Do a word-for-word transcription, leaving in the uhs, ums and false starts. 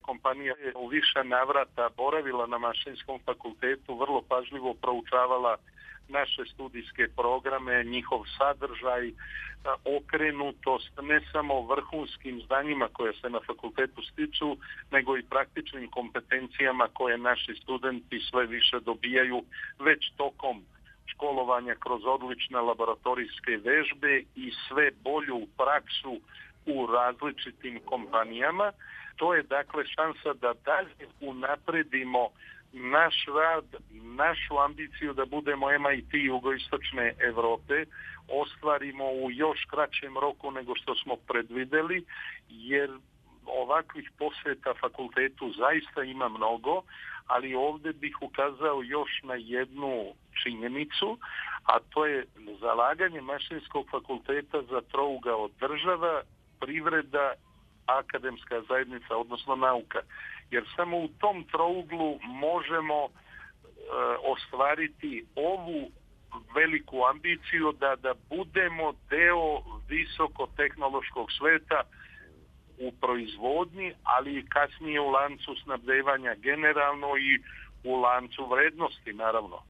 kompanija je u više navrata boravila na Mašinskom fakultetu, vrlo pažljivo proučavala naše studijske programe, njihov sadržaj, okrenutost ne samo vrhunskim znanjima koje se na fakultetu stiču, nego i praktičnim kompetencijama koje naši studenti sve više dobijaju već tokom školovanja kroz odlične laboratorijske vežbe i sve bolju praksu u različitim kompanijama. To je dakle šansa da dalje unapredimo naš rad, našu ambiciju da budemo M I T jugoistočne Evrope, ostvarimo u još kraćem roku nego što smo predvideli, jer ovakvih posjeta fakultetu zaista ima mnogo, ali ovdje bih ukazao još na jednu činjenicu, a to je zalaganje Mašinskog fakulteta za trougao država, privreda, akademska zajednica, odnosno nauka. Jer samo u tom trouglu možemo e, ostvariti ovu veliku ambiciju da, da budemo deo visokotehnološkog sveta u proizvodnji, ali i kasnije u lancu snabdevanja generalno i u lancu vrednosti, naravno.